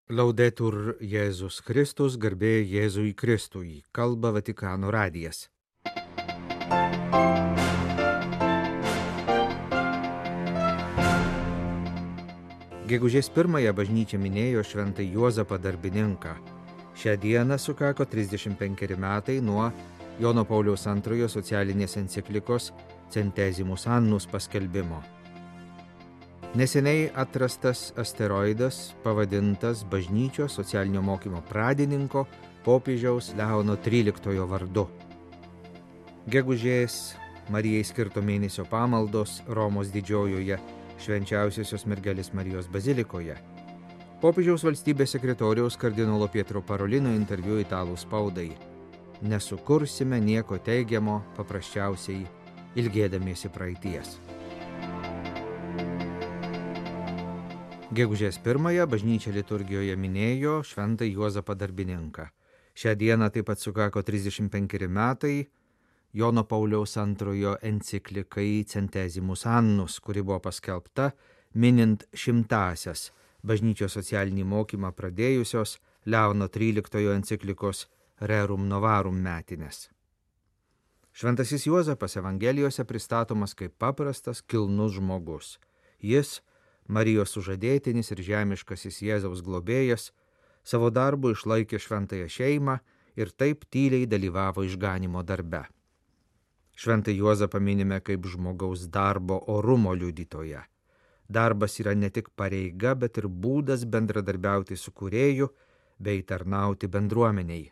Laudetur Jėzus Kristus, garbė Jėzui Kristui, kalba Vatikano radijas. Gegužės 1 bažnyčia minėjo šventąjį Juozapą Darbininką. Šią dieną sukako 35 metai nuo Jono Pauliaus II socialinės enciklikos Centesimus Annus paskelbimo. Neseniai atrastas asteroidas pavadintas bažnyčios socialinio mokymo pradininko popiežiaus Leono XIII vardu. Gegužės Marijai skirto mėnesio pamaldos Romos didžiojoje Švenčiausiosios mergelės Marijos bazilikoje. Popiežiaus valstybės sekretoriaus kardinolo Pietro Parolino interviu italų spaudai. Nesukursime nieko teigiamo, paprasčiausiai ilgėdamiesi praeities. Gegužės 1 bažnyčia liturgijoje minėjo šventąjį Juozapą Darbininką. Šią dieną taip pat sukako 35 metai Jono Pauliaus II enciklikai Centesimus Annus, kuri buvo paskelbta minint 100-asias bažnyčios socialinį mokymą pradėjusios Leono XIII enciklikos Rerum Novarum metines. Šventasis Juozapas Evangelijose pristatomas kaip paprastas, kilnus žmogus. Jis, Marijos sužadėtinis ir žemiškasis Jėzaus globėjas, savo darbu išlaikė šventąją šeimą ir taip tyliai dalyvavo išganymo darbe. Šventąjį Juozapą minime kaip žmogaus darbo orumo liudytoją. Darbas yra ne tik pareiga, bet ir būdas bendradarbiauti su Kūrėju bei tarnauti bendruomeniai.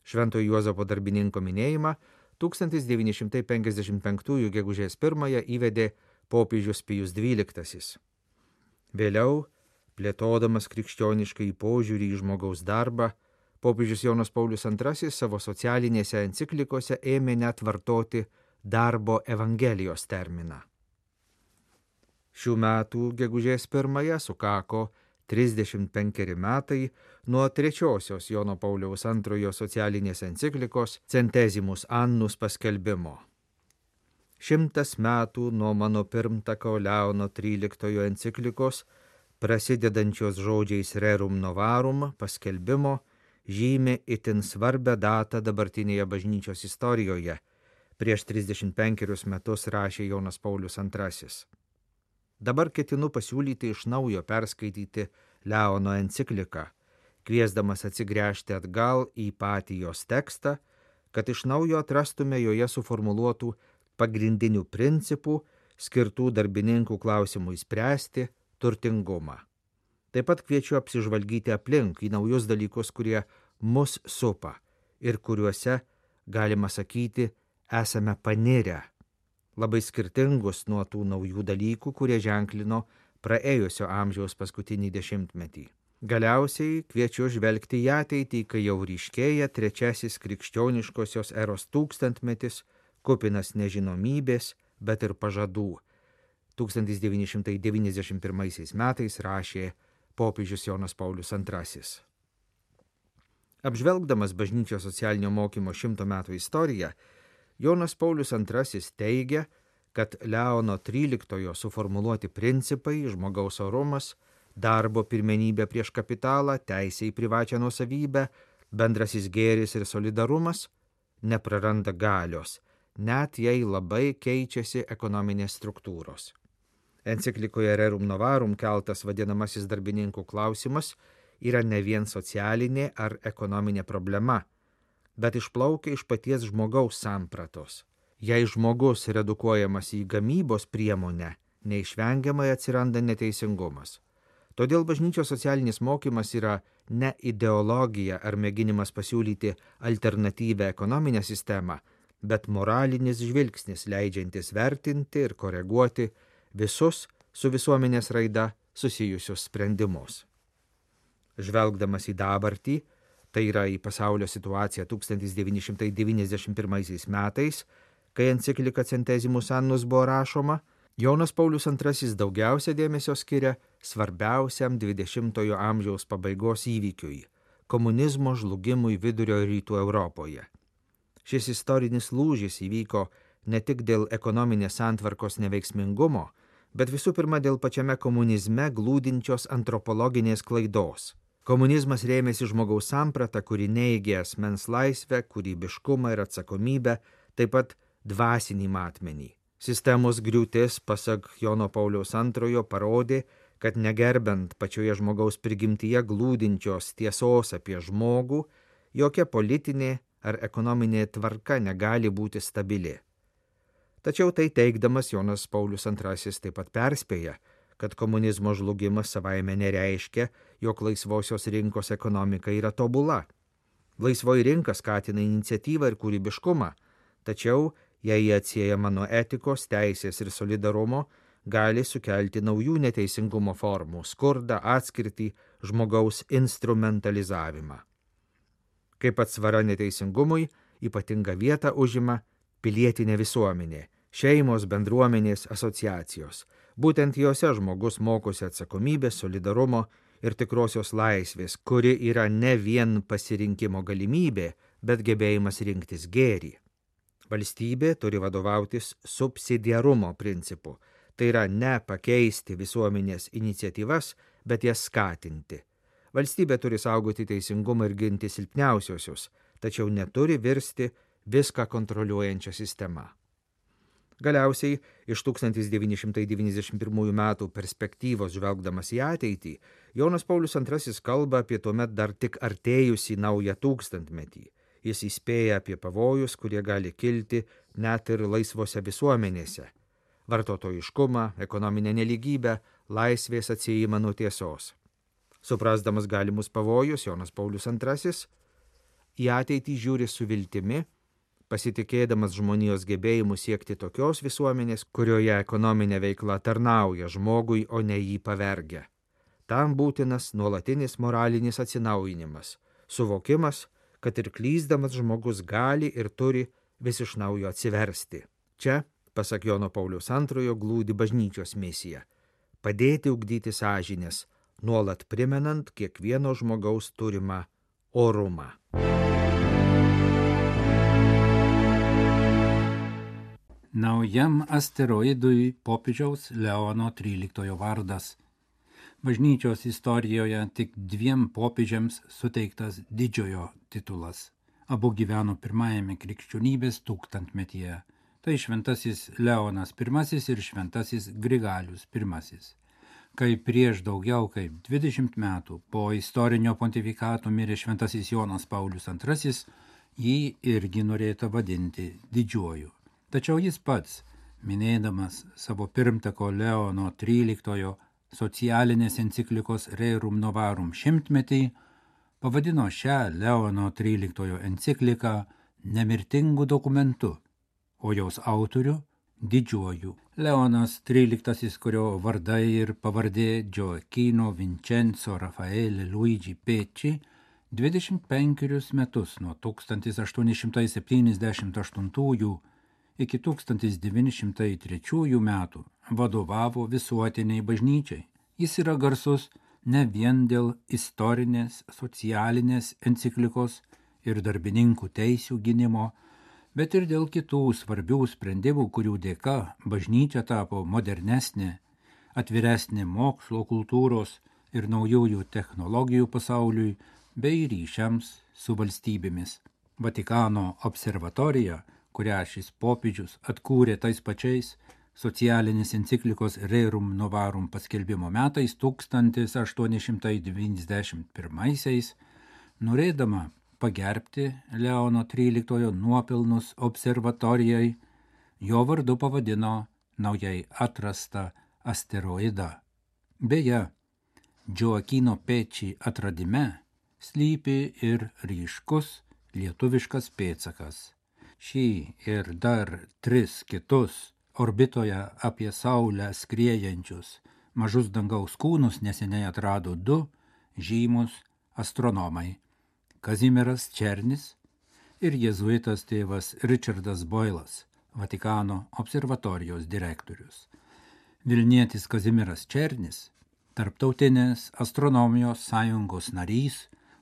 Šventojo Juozapo Darbininko minėjimą 1955 gegužės 1 įvedė popiežius Pijus XII. Vėliau, plėtodamas krikščioniškai požiūrį į žmogaus darbą, popiežius Jonas Paulius II savo socialinėse enciklikose ėmė net vartoti darbo evangelijos terminą. Šių metų gegužės 1 sukako 35 metai nuo trečiosios Jono Pauliaus II socialinės enciklikos Centesimus Annus paskelbimo. 100 metų nuo mano pirmtako Leono XIII enciklikos, prasidedančios žodžiais Rerum Novarum paskelbimo, žymi itin svarbią datą dabartinėje bažnyčios istorijoje. Prieš 35 metus rašė Jonas Paulius II. Dabar ketinu pasiūlyti iš naujo perskaityti Leono encikliką, kviesdamas atsigręžti atgal į patį jos tekstą, kad iš naujo atrastume joje suformuluotų pagrindinių principų, skirtų darbininkų klausimui spręsti, turtingumą. Taip pat kviečiu apsižvalgyti aplink į naujus dalykus, kurie mus supa ir kuriuose, galima sakyti, esame panirę, labai skirtingus nuo tų naujų dalykų, kurie ženklino praėjusio amžiaus paskutinį dešimtmetį. Galiausiai kviečiu žvelgti į ateitį, kai jau ryškėja trečiasis krikščioniškosios eros tūkstantmetis, kupinas nežinomybės, bet ir pažadų. 1991 metais rašė popiežius Jonas Paulius II. Apžvelgdamas bažnyčios socialinio mokymo 100 metų istoriją, Jonas Paulius II teigia, kad Leono XIII suformuluoti principai, žmogaus orumas, darbo pirmenybė prieš kapitalą, teisė į privačią nuosavybę, bendrasis gėris ir solidarumas nepraranda galios, net jei labai keičiasi ekonominės struktūros. Enciklikoje Rerum Novarum keltas vadinamasis darbininkų klausimas yra ne vien socialinė ar ekonominė problema, bet išplaukia iš paties žmogaus sampratos. Jei žmogus redukuojamas į gamybos priemonę, neišvengiamai atsiranda neteisingumas. Todėl bažnyčios socialinis mokymas yra ne ideologija ar mėginimas pasiūlyti alternatyvę ekonominę sistemą, bet moralinis žvilgsnis leidžiantis vertinti ir koreguoti visus su visuomenės raida susijusius sprendimus. Žvelgdamas į dabartį, tai yra į pasaulio situaciją 1991 metais, kai enciklika Centesimus Annus buvo rašoma, Jonas Paulius II daugiausia dėmesio skiria svarbiausiam 20-ojo amžiaus pabaigos įvykiui – komunizmo žlugimui Vidurio ir Rytų Europoje. Šis istorinis lūžis įvyko ne tik dėl ekonominės santvarkos neveiksmingumo, bet visų pirma dėl pačiame komunizme glūdinčios antropologinės klaidos. Komunizmas rėmėsi žmogaus sampratą, kuri neigė asmens laisvę, kūrybiškumą ir atsakomybę, taip pat dvasinį matmenį. Sistemos griūtis, pasak Jono Pauliaus II, parodė, kad negerbent pačioje žmogaus prigimtyje glūdinčios tiesos apie žmogų, jokia politinė ar ekonominė tvarka negali būti stabili. Tačiau tai teigdamas Jonas Paulius II taip pat perspėja, kad komunizmo žlugimas savaime nereiškia, jog laisvosios rinkos ekonomika yra tobula. Laisvoji rinka skatina iniciatyvą ir kūrybiškumą, tačiau jei jie atsiejama nuo etikos, teisės ir solidarumo, gali sukelti naujų neteisingumo formų, skurdą, atskirtį, žmogaus instrumentalizavimą. Kaip atsvara neteisingumui, ypatingą vietą užima pilietinė visuomenė, šeimos, bendruomenės, asociacijos. Būtent jose žmogus mokosi atsakomybės, solidarumo ir tikrosios laisvės, kuri yra ne vien pasirinkimo galimybė, bet gebėjimas rinktis gėrį. Valstybė turi vadovautis subsidiarumo principu, tai yra ne pakeisti visuomenės iniciatyvas, bet jas skatinti. Valstybė turi saugoti teisingumą ir ginti silpniausiosius, tačiau neturi virsti viską kontroliuojančią sistemą. Galiausiai, iš 1991 metų perspektyvos žvelgdamas į ateitį, Jonas Paulius II kalba apie tuomet dar tik artėjusį naują tūkstantmetį. Jis įspėja apie pavojus, kurie gali kilti net ir laisvose visuomenėse. Vartotojiškumą, ekonominę nelygybę, laisvės atsiejimą nuo tiesos. Suprasdamas galimus pavojus, Jonas Paulius II į ateitį žiūri su viltimi, pasitikėdamas žmonijos gebėjimu siekti tokios visuomenės, kurioje ekonominė veikla tarnauja žmogui, o ne jį pavergia. Tam būtinas nuolatinis moralinis atsinaujinimas, suvokimas, kad ir klysdamas žmogus gali ir turi vis iš naujo atsiversti. Čia, pasak Jono Pauliaus II, glūdi bažnyčios misija – padėti ugdyti sąžinės, nuolat primenant kiekvieno žmogaus turimą orumą. Naujam asteroidui popiežiaus Leono XIII vardas. Bažnyčios istorijoje tik 2 popiežiams suteiktas didžiojo titulas. Abu gyveno pirmajame krikščionybės tūkstantmetyje. Tai šventasis Leonas I ir šventasis Grigalius I. Kai prieš daugiau kaip 20 metų po istorinio pontifikato mirė šventasis Jonas Paulius II, jį irgi norėta vadinti didžiuoju. Tačiau jis pats, minėdamas savo pirmtako Leono XIII socialinės enciklikos Rerum Novarum 100-metį, pavadino šią Leono XIII encikliką nemirtingu dokumentu, o jos autorių didžiuoju. Leonas XIII, kurio vardai ir pavardė Gioacchino Vincenzo Raffaele Luigi Pecci, 25 metus nuo 1878 iki 1903 metų vadovavo visuotiniai bažnyčiai. Jis yra garsus ne vien dėl istorinės, socialinės enciklikos ir darbininkų teisių gynimo, bet ir dėl kitų svarbių sprendimų, kurių dėka bažnyčia tapo modernesnė, atviresnė mokslo, kultūros ir naujųjų technologijų pasauliui bei ryšiams su valstybėmis. Vatikano observatorija, kurią šis popiežius atkūrė tais pačiais socialinės enciklikos Rerum Novarum paskelbimo metais 1891, norėdama pagerbti Leono XIII nuopelnus observatorijai, jo vardu pavadino naujai atrastą asteroidą. Beje, Gioacchino Pecci atradime slypi ir ryškus lietuviškas pėdsakas. Šį ir dar 3 kitus orbitoje apie Saulę skriejančius mažus dangaus kūnus neseniai atrado 2 žymus astronomai – Kazimieras Černis ir jėzuitas tėvas Richardas Boylas, Vatikano observatorijos direktorius. Vilnietis Kazimieras Černis, Tarptautinės astronomijos sąjungos narys,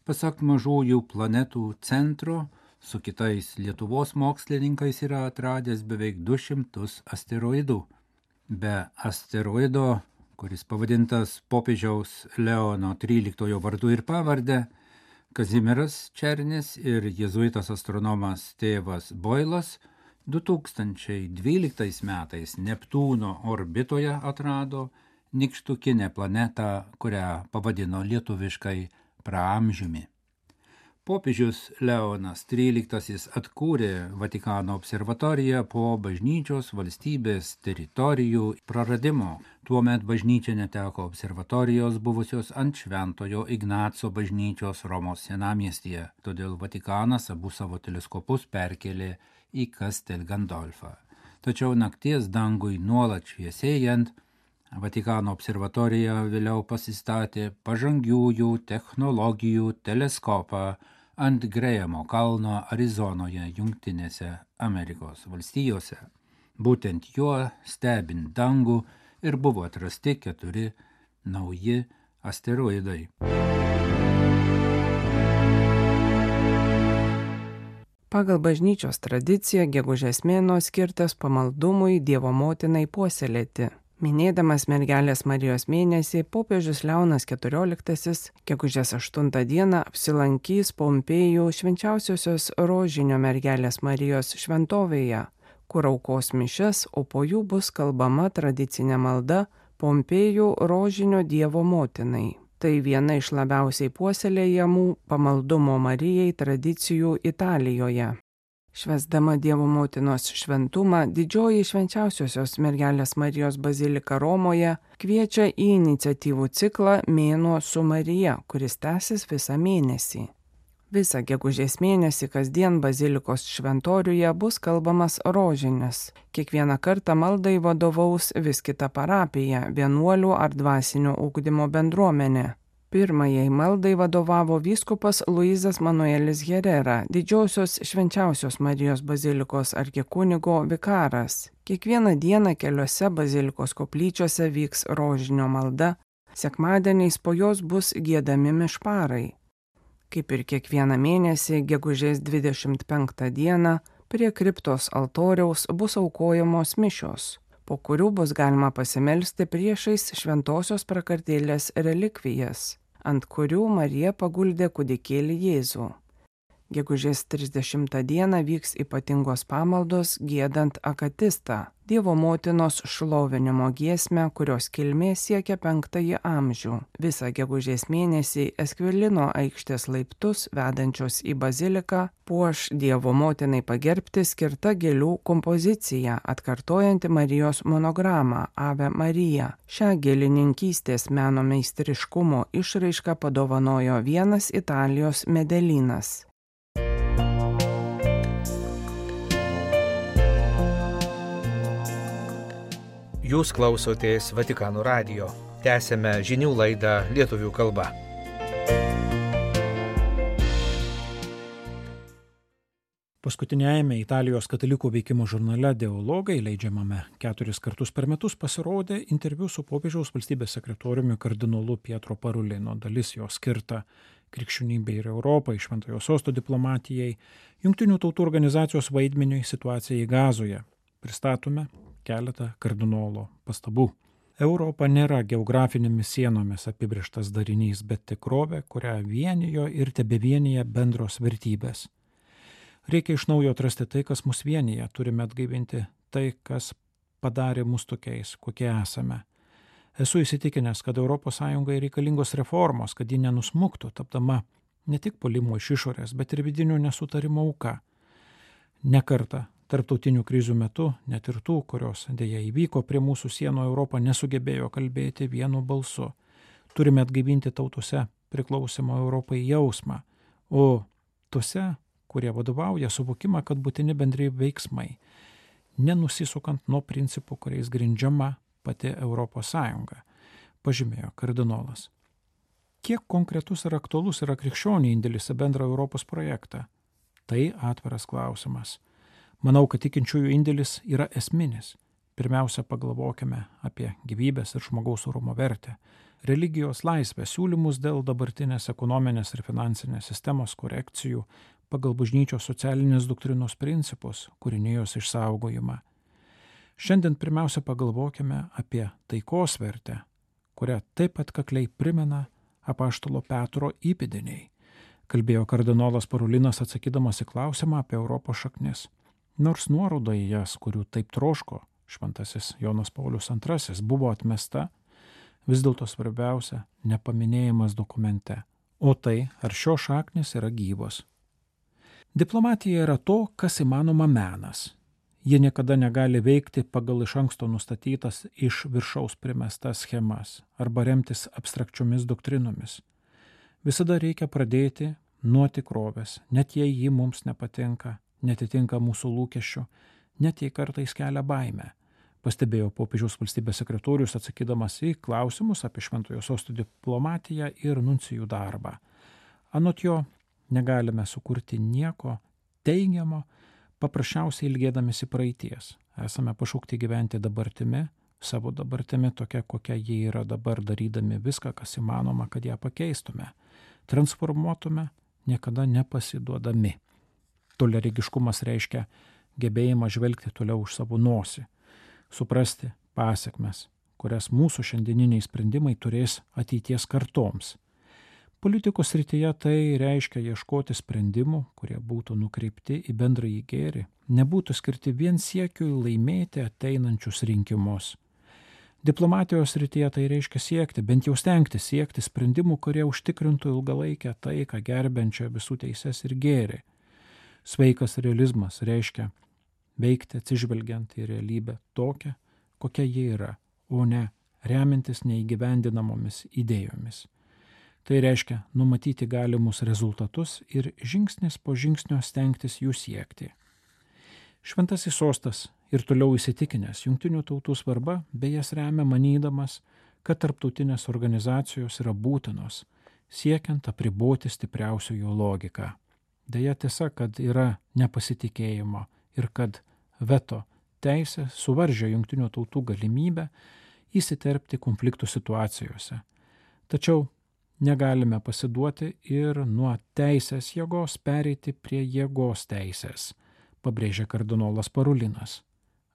pasak Mažųjų planetų centro, su kitais Lietuvos mokslininkais yra atradęs beveik 200 asteroidų. Be asteroido, kuris pavadintas popiežiaus Leono XIII vardu ir pavarde, Kazimieras Černis ir jėzuitas astronomas tėvas Boilas 2012 metais Neptūno orbitoje atrado nykštukinę planetą, kurią pavadino lietuviškai Praamžiumi. Popiežius Leonas XIII atkūrė Vatikano observatoriją po bažnyčios valstybės teritorijų praradimo. Tuomet bažnyčia neteko observatorijos buvusios ant Šventojo Ignaco bažnyčios Romos senamiestyje, todėl Vatikanas abu savo teleskopus perkėlė į Castel Gandolfą. Tačiau nakties dangui nuolat šviesėjant, Vatikano observatorija vėliau pasistatė pažangiųjų technologijų teleskopą ant Grėjamo kalno Arizonoje, Jungtinėse Amerikos valstijose. Būtent juo stebint dangų ir buvo atrasti 4 nauji asteroidai. Pagal bažnyčios tradiciją gegužės mėnuo skirtas pamaldumui Dievo motinai puoselėti. Minėdamas mergelės Marijos mėnesį, popiežius Leonas XIV gegužės 8 dieną apsilankys Pompėjų švenčiausiosios Rožinio mergelės Marijos šventovėje, kur aukos mišias, o po jų bus kalbama tradicinė malda Pompėjų Rožinio Dievo motinai. Tai viena iš labiausiai puoselėjamų pamaldumo Marijai tradicijų Italijoje. Švęsdama Dievo motinos šventumą, didžioji švenčiausiosios mergelės Marijos bazilika Romoje kviečia į iniciatyvų ciklą Mėnuo su Marija, kuris tęsis visą mėnesį. Visą gegužės mėnesį kasdien bazilikos šventoriuje bus kalbamas rožinis. Kiekvieną kartą maldai vadovaus vis kita parapija, vienuolių ar dvasinio ugdymo bendruomenė. Pirmajai maldai vadovavo vyskupas Luizas Manuelis Herrera, didžiosios švenčiausios Marijos bazilikos arkikunigo vikaras. Kiekvieną dieną keliose bazilikos koplyčiose vyks rožinio malda, sekmadieniais po jos bus giedami mišparai. Kaip ir kiekvieną mėnesį, gegužės 25 dieną, prie kriptos altoriaus bus aukojamos mišios, po kurių bus galima pasimelsti priešais šventosios prakartėlės relikvijas, ant kurių Marija paguldė kūdikėlį Jėzų. Gegužės 30 dieną vyks ypatingos pamaldos giedant akatistą, Dievo motinos šlovinimo giesmę, kurios kilmė siekia 5 amžių. Visą gegužės mėnesį Eskvilino aikštės laiptus vedančios į baziliką puoš Dievo motinai pagerbti skirta gėlių kompozicija, atkartojanti Marijos monogramą Ave Marija. Šią gėlininkystės meno meistriškumo išraišką padovanojo vienas Italijos medelynas. Jūs klausotės Vatikano radijo. Tęsėme žinių laidą lietuvių kalba. Paskutiniajame Italijos katalikų veikimo žurnale Dialogai, leidžiamame 4 kartus per metus, pasirodė interviu su popiežiaus valstybės sekretoriumi kardinolu Pietro Parulino. Dalis jo skirta krikščionybei ir Europai, Šventojo Sosto diplomatijai, Jungtinių tautų organizacijos vaidmeniui situacijai Gazoje. Pristatome keletą kardinolo pastabų. Europa nėra geografinėmis sienomis apibrėžtas darinys, bet tikrovė, kurią vienijo ir tebevienyje bendros vertybės. Reikia iš naujo atrasti tai, kas mus vienyje, turime atgaivinti tai, kas padarė mus tokiais, kokie esame. Esu įsitikinęs, kad ES reikalingos reformos, kad ji nenusmuktų, tapdama ne tik puolimo iš išorės, bet ir vidinių nesutarimų auka. Ne kartą tarptautinių krizių metu, net ir tų, kurios dėja įvyko prie mūsų sienų, Europą nesugebėjo kalbėti vienu balsu. Turime atgaivinti tautose priklausimo Europai jausmą, o tose, kurie vadovauja, suvokimą, kad būtini bendri veiksmai, nenusisukant nuo principų, kuriais grindžiama pati ES, pažymėjo kardinolas. Kiek konkretus ir aktualus yra krikščionių indėlis į bendrą Europos projektą? Tai atviras klausimas. Manau, kad tikinčiųjų indėlis yra esminis. Pirmiausia, pagalvokime apie gyvybės ir žmogaus orumo vertę, religijos laisvę, siūlymus dėl dabartinės ekonominės ir finansinės sistemos korekcijų pagal bažnyčios socialinės doktrinos principus, kūrinijos išsaugojimą. Šiandien pirmiausia pagalvokime apie taikos vertę, kurią taip atkakliai primena apaštalo Petro įpėdiniai, kalbėjo kardinolas Parolinas atsakydamas į klausimą apie Europos šaknis. Nors nuoroda į jas, kurių taip troško šventasis Jonas Paulius II, buvo atmesta, vis dėlto svarbiausia nepaminėjimas dokumente, o tai, ar šios šaknis yra gyvos. Diplomatija yra to, kas įmanoma menas. Ji niekada negali veikti pagal iš anksto nustatytas iš viršaus primestas schemas arba remtis abstrakčiomis doktrinomis. Visada reikia pradėti nuo tikrovės, net jei ji mums nepatinka, netitinka mūsų lūkesčių, net jei kartais kelia baimę, pastebėjo popiežiaus valstybės sekretorius atsakydamas į klausimus apie Šventojo Sosto diplomatiją ir nuncijų darbą. Anot jo, negalime sukurti nieko teigiamo, paprasčiausiai ilgėdamėsi praeities. Esame pašaukti gyventi dabartimi, savo dabartimi tokia, kokia ji yra dabar, darydami viską, kas įmanoma, kad ją pakeistume, transformuotume, niekada nepasiduodami. Toliaregiškumas reiškia gebėjimą žvelgti toliau už savo nosį, suprasti pasekmes, kurias mūsų šiandieniniai sprendimai turės ateities kartoms. Politikos srityje tai reiškia ieškoti sprendimų, kurie būtų nukreipti į bendrąjį gėrį, nebūtų skirti vien siekiui laimėti ateinančius rinkimus. Diplomatijos srityje tai reiškia siekti, bent jau stengti siekti sprendimų, kurie užtikrintų ilgalaikę taiką, gerbiančią visų teises ir gėrį. Sveikas realizmas reiškia veikti atsižvelgiant į realybę tokią, kokia ji yra, o ne remintis neįgyvendinamomis idėjomis. Tai reiškia numatyti galimus rezultatus ir žingsnis po žingsnio stengtis jų siekti. Šventasis sostas ir toliau įsitikinęs Jungtinių tautų svarba, bei jas remia manydamas, kad tarptautinės organizacijos yra būtinos, siekiant apriboti stipriausiojo logiką. Deja tiesa, kad yra nepasitikėjimo ir kad veto teisė suvaržė Jungtinių tautų galimybę įsiterpti konfliktų situacijose. Tačiau negalime pasiduoti ir nuo teisės jėgos pereiti prie jėgos teisės, pabrėžė kardinolas Parolinas.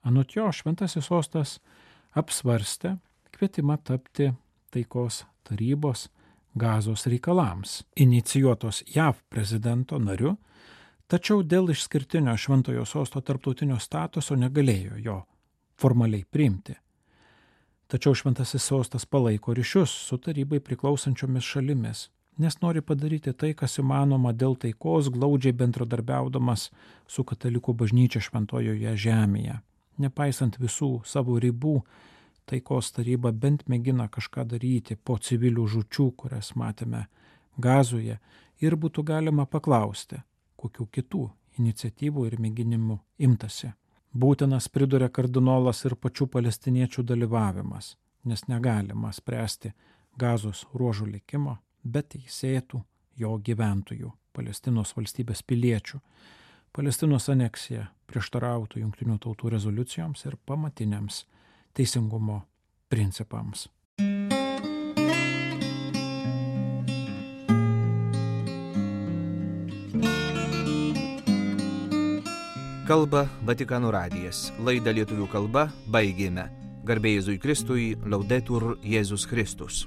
Anot jo, Šventasis sostas apsvarstė kvietimą tapti taikos tarybos Gazos reikalams, inicijuotos JAV prezidento nariu, tačiau dėl išskirtinio Šventojo sosto tarptautinio statuso negalėjo jo formaliai priimti. Tačiau Šventasis sostas palaiko ryšius su tarybai priklausančiomis šalimis, nes nori padaryti tai, kas įmanoma dėl taikos, glaudžiai bendradarbiaudamas su katalikų bažnyčia Šventojoje žemėje. Nepaisant visų savo ribų, taikos taryba bent mėgina kažką daryti po civilių žūčių, kurias matėme Gazoje, ir būtų galima paklausti, kokių kitų iniciatyvų ir mėginimų imtasi. Būtinas, priduria kardinolas, ir pačių palestiniečių dalyvavimas, nes negalima spręsti Gazos ruožų likimo, bet teisėtų jo gyventojų, Palestinos valstybės piliečių. Palestinos aneksija prieštarautų Jungtinių tautų rezoliucijoms ir pamatiniams teisingumo principams. Kalba Vatikano radijas. Laidą lietuvių kalba baigėme. Garbė Jėzui Kristui, Laudetur Jėzus Kristus.